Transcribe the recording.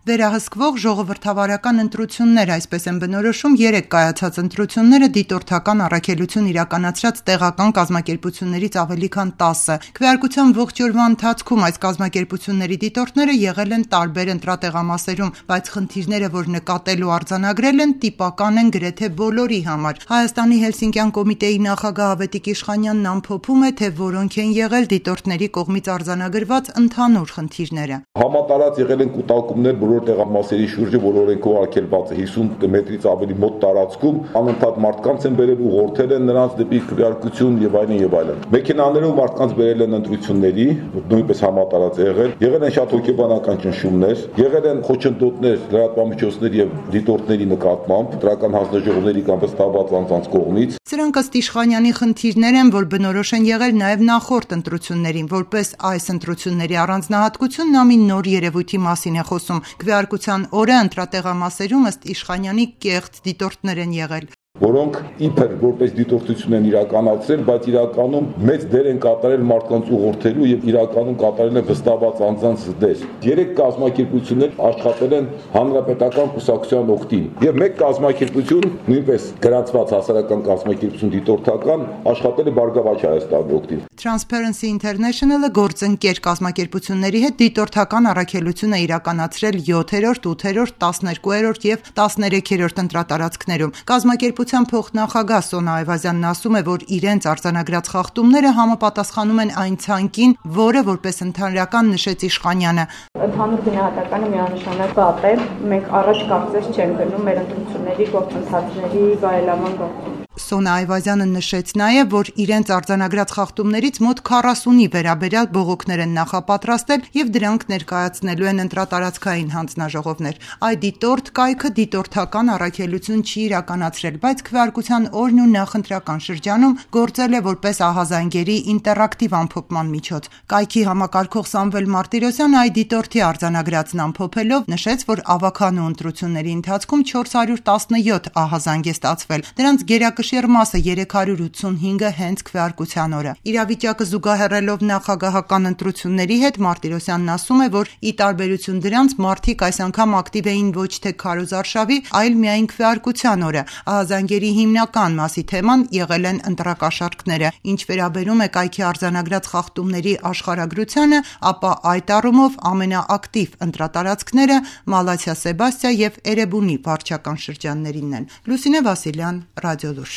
Վերահսկվող ժողովրդավարական ընտրություններ, այսպես են բնորոշում 3 կայացած ընտրությունները դիտորդական առաքելություն իրականացրած տեղական կազմակերպություններից ավելի քան 10-ը։ Քվեարկության ողջ օրվա ընթացքում այս կազմակերպությունների դիտորդները եղել են տարբեր ընտրատեղամասերում, բայց խնդիրները, որ նկատել ու արձանագրել են, տիպական են գրեթե բոլորի համար։ Հայաստանի Հելսինկյան կոմիտեի նախագահ Ավետիք Իշխանյանն ամփոփում է, թե որոնք են եղել դիտորդների կողմից արձանագրված ընդհանուր խնդիրները։ Համատարած եղել են կուտակումներ բոլոր տեղամասերի շուրջը, որ օրենքով արգելված է 50 մետրից ավելի մոտ տարածքում, անընդհատ մարդկանց են բերել, ուղղորդել են նրանց դեպի քվեարկություն եւ այլն եւ այլն։ Մեքենաներով մարդկանց բերել են ընտրությունների, նույնպես համատարած եղել են շատ հոգեբանական ճնշումներ, եղել են խոչընդոտներ լրատվամիջոցների եւ դիտորդների նկատմամբ, դրական հանձնաժողովների կամ վստահված անձանց կողմից։ Սրանք ըստ Իշխանյանի խնդիրներ են, որ բնորոշ են եղել նաեւ նախորդ ընտրություններին, որպես այս ընտրությունների առանձնահատկություն նա մի նոր երևույթի մասին է խոսում։ Քվեարկության օրը ընտրատեղամասերում ըստ Իշխանյանի կեղծ դիտորդներ են եղել, որոնք իբր որպես դիտորդություն են իրականացրել, բայց իրականում մեծ դեր են կատարել մարդկանց ուղղորդելու եւ իրականում կատարել են վստահված անձանց դեր։ 3 կազմակերպություններ աշխատել են հանրապետական կուսակցության օգտին եւ մեկ կազմակերպություն, նույնպես գրանցված հասարակական կազմակերպություն դիտորդական, աշխատել է Բարգավաճ Հայաստանի օգտին։ Transparency International-ը գործընկեր կազմակերպությունների հետ դիտորդական առաքելություն է իրականացրել 7-րդ, 8-րդ, 12-րդ եւ 13-րդ ընտրատարածքներում։ Կազմակերպության փոխնախագահ Սոնա Այվազյանն ասում է, որ իրենց արձանագրած խախտումները համապատասխանում են այն ցանկին, որը որպես ընդհանրական նշեց Իշխանյանը։ Ընդհանուր գնահատականը միանշանակ վատ է։ Մենք առաջ կարծես չենք գնում մեր ընտրությունների գործընթացների բարելավման գործում։ Սոնա Այվազյանը նշեց նաև, որ իրենց արձանագրած խախտումներից մոտ 40-ի վերաբերյալ բողոքներ են նախապատրաստել եւ դրանք ներկայացնելու են ընտրատարածքային հանձնաժողովներ։ Այդ դիտորդ կայքը դիտորդական առաքելություն չի իրականացրել, բայց քվեարկության օրն ու նախընտրական շրջանում գործել է որպես ահազանգերի ինտերակտիվ ամփոփման միջոց։ Կայքի համակարգող Սամվել Մարտիրոսյանը այդ դիտորդի արձանագրածն ամփոփելով նշեց, որ ավագանու ընտրությունների ընթացքում 417 ահազանգ է ստացվել։ Դրանց գերակշիռ մասը 385-ը հենց քվեարկության օրը։ Իրավիճակը զուգահեռելով նախագահական ընտրությունների հետ Մարտիրոսյանն ասում է, որ ի տարբերություն դրանց մարդիկ այս անգամ ակտիվ էին ոչ թե քարոզարշավի, այլ միայն քվեարկության օրը։ Ահազանգերի հիմնական մասի թեման եղել են ընտրակաշառքները։ Ինչ վերաբերում է կայքի արձանագրած խախտումների աշխարհագրությանը, ապա այդ առումով ամենաակտիվ ընտրատարածքները Մալաթիա Սեբաստիա եւ Էրեբունի վարչական շրջաններինն են։ Լուսինե Վասիլյան, Ռադիոլուր։